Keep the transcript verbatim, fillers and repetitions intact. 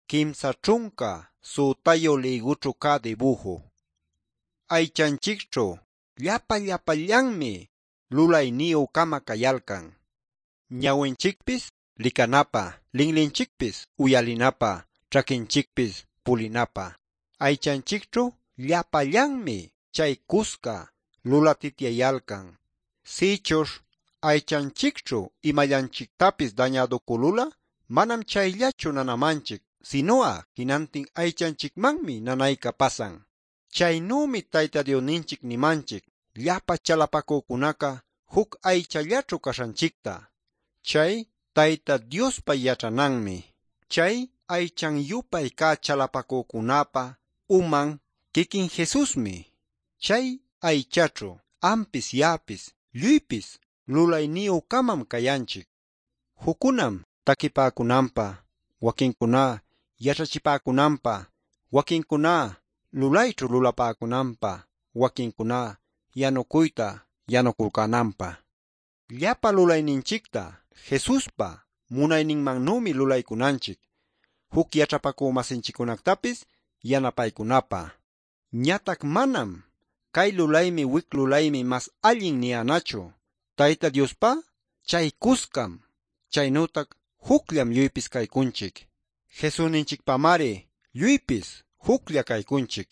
Kimsa ćhunka suqtayu ligućhu cä dibuju. Aychanchikćhu llapa llapallanmi lulayniyü-kama cayalcan. Ñawinchikpis licanapä, linlinchikpis uyalinapä, ćhaquinchikpis pulinapä. Aychanchikćhu llapallanmi chay cusca lulatityayalcan. Sïchuśh aychanchikćhu imallanchictapis dañaducülul'a manam chayllachu nanamanchic, sinu'a jinantin aychanchicmanmi nanayca pasan. Chaynümi Tayta Diosninchic nimanchic llapa chalapacücunaca juc aychallaćhu caśhanchicta. Chay Tayta Diospa yaćhananmi. Chay aychan-yupay cä chalapacücunäpa uman quiquin Jesusmi. Chay aychaćhu ampis ya'apis lluypis lulayniyü-camam cayanchic. Juccunam taquipäcunanpä, waquincuná yaćhachipäcunanpä, waquincuná lulayćhu lulapäcunanpä, waquincuná yanucuyta yanuculcänanpä. Llapa lulayninchicta Jesuspa munayninmannümi lulaycunanchic, juc yaćhapacü-masinchiccunactapis yanapaycunapä. Ñatac manam cay lulaymi wic lulaymi mas allin niyänachu. Tayta Diospá chay cuscam, chaynütac jucllam lluypis caycunchic. Jesusninchicpamari lluypis juclla caycunchic.